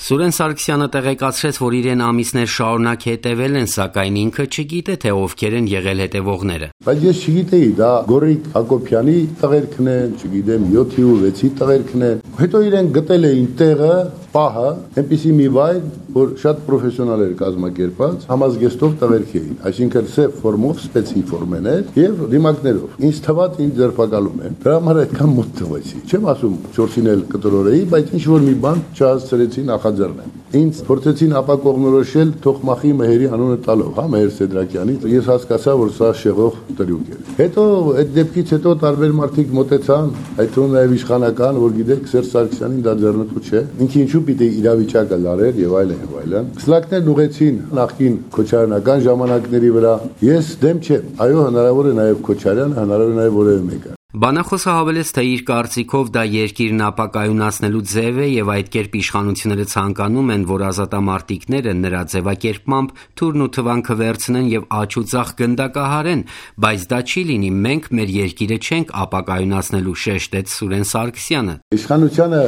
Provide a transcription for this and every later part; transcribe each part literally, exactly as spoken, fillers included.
Սուրեն Սարգսյանը տեղեկացրեց, որ իրեն ամիսներ շարունակ հետևել են, սակայն ինքը չգիտե, թե ովքեր են եղել հետևողները։ Բայց ես չգիտեի, դա Գորիկ Հակոբյանի տղերքն են, չգիտեմ, յոթի ու վեցի տղերքն են։ Հետո իրեն գտել էին տեղը, պահը, այնպիսի մի վայր, որ շատ պրոֆեսիոնալ էր կազմակերպած, համազգեստով տղերք էին, այսինքն սև ֆորմով, սպեցի ֆորմեներ եւ դիմակներով։ Ինձ թվաց ինձ ձերբակալում են։ Դրա համար այդքան մոտ թվացի։ Չեմ ասում չորսին էլ կտրորեի, բայց ինչ որ մի բան չհասցրեցի նախաձեռնեմ։ Ինձ փորձեցին ապակողնորոշել Թոխմախի Մեհերի անունը տալով, հա, Մեհեր Սեդրակյանի։ Ես հասկացա, որ սա շեղող տրյուկ է։ Հետո այդ դեպքից հետո տարբեր մարդիկ մոտեցան, այդ թվում նաև իշխանական, որ գիտեք, Սերժ Սարգսյանին դա ձեռնտու չէ։ Ինքը ինչու պիտի իրավիճակը լարեր եւ այլն եւ այլն։ Սլակներն ուղեցին նախկին Քոչարյանական ժամանակների վրա։ Ես դեմ չեմ։ Այո, հնարավոր է նաև Քոչարյանը, հնարավոր է նաև որևէ մեկը։ Բանախոսը հավելեց, թե իր կարծիքով դա երկիրն ապակայունացնելու ձև է եւ այդ կերպ իշխանությունները ցանկանում են, որ ազատամարտիկները նրա ձևակերպմամբ թուրն ու թվանքը վերցնեն եւ աճ ու ձախ գնդակահարեն, բայց դա չի լինի, մենք մեր երկիրը չենք ապակայունացնելու, շեշտեց Սուրեն Սարգսյանը։ Իշխանությունը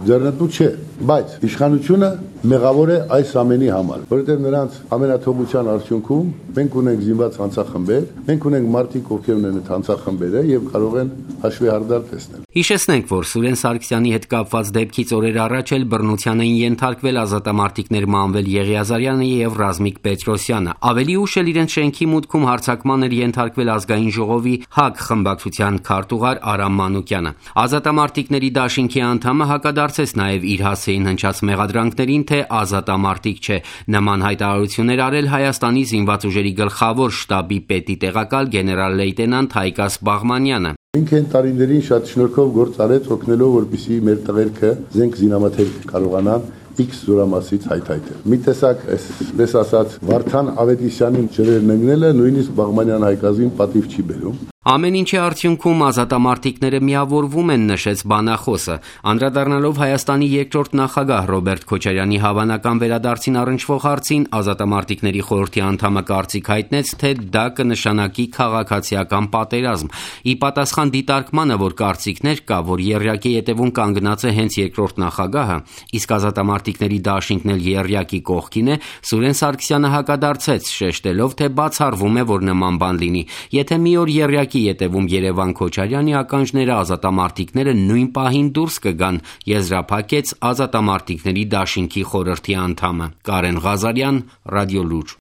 ձեռնտու չէ, բայց իշխանությունը մեղավոր է այս ամենի համար, որովհետեւ նրանց ամենաթողության արդյունքում մենք ունենք զինված հանցախմբեր, մենք ունենք մարդիկ, ովքեր ունեն այդ հանցախմբերը եւ կարող են հաշվի հարդար տեսնել։ Հիշեցնենք, որ Սուրեն Սարգսյանի հետ կապված դեպքից օրեր առաջ էլ բռնության էին ենթարկվել ազատամարտիկներ Մանվել Եղիազարյանը եւ Ռազմիկ Պետրոսյանը։ Ավելի ուշ էլ իրենց շենքի մուտքում հարձակման էր ենթարկվել Ազգային ժողովի ՀԱԿ խմբակցության քարտուղար Արամ Մանուկյանը։ Ազատամարտիկների դաշինքի անդամը հակադարձեց նաեւ իր հասցեին հնչած մեղադրանքներին, թե ազատամարտիկ չէ։ Նման հայտարարություններ արել Հայաստանի զինված ուժերի գլխավոր շտաբի պետի տեղակալ գեներալ լեյտենանտ Հայկաս Բաղմանյանը։ Ինքը այն տարիներին շատ շնորհքով գործ արեց, օգնելով, որպեսզի մեր տղերքը զենք զինամթերք կարողանան X զորամասից հայթայթել։ Մի տեսակ, այսպես ասած, Վարդան Ավետիսյանին ջրերն ընկնելը նույնիսկ Բաղմանյան Հայկազին պատիվ չի բերում։ Ամեն ինչի արդյունքում ազատամարտիկները միավորվում են, նշեց բանախոսը, անդրադառնալով Հայաստանի երկրորդ նախագահ Ռոբերտ Քոչարյանի հավանական վերադարձին առնչվող հարցին, ազատամարտիկների խորհրդի անդամը կարծիք հայտնեց, թե դա կնշանակի քաղաքացիական պատերազմ։ Ի պատասխան դիտարկմանը, որ կարծիքներ կա, որ եռյակի ետևում կանգնած է հենց երկրորդ նախագահը, իսկ ազատամարտիկների դաշինքն էլ եռյակի կողքին է, Սուրեն Սարգսյանը հակադարձեց, շեշտելով, թե բացառվում է, որ նման բան լինի։ Եթե մի օր եռյակի ետևում Երևան Քոչարյանի ականջները ազատամարտիկները նույն պահին դուրս կգան, եզրափակեց ազատամարտիկների դաշինքի խորհրդի անդամը։ Կարեն Ղազարյան, Ռադիոլուր։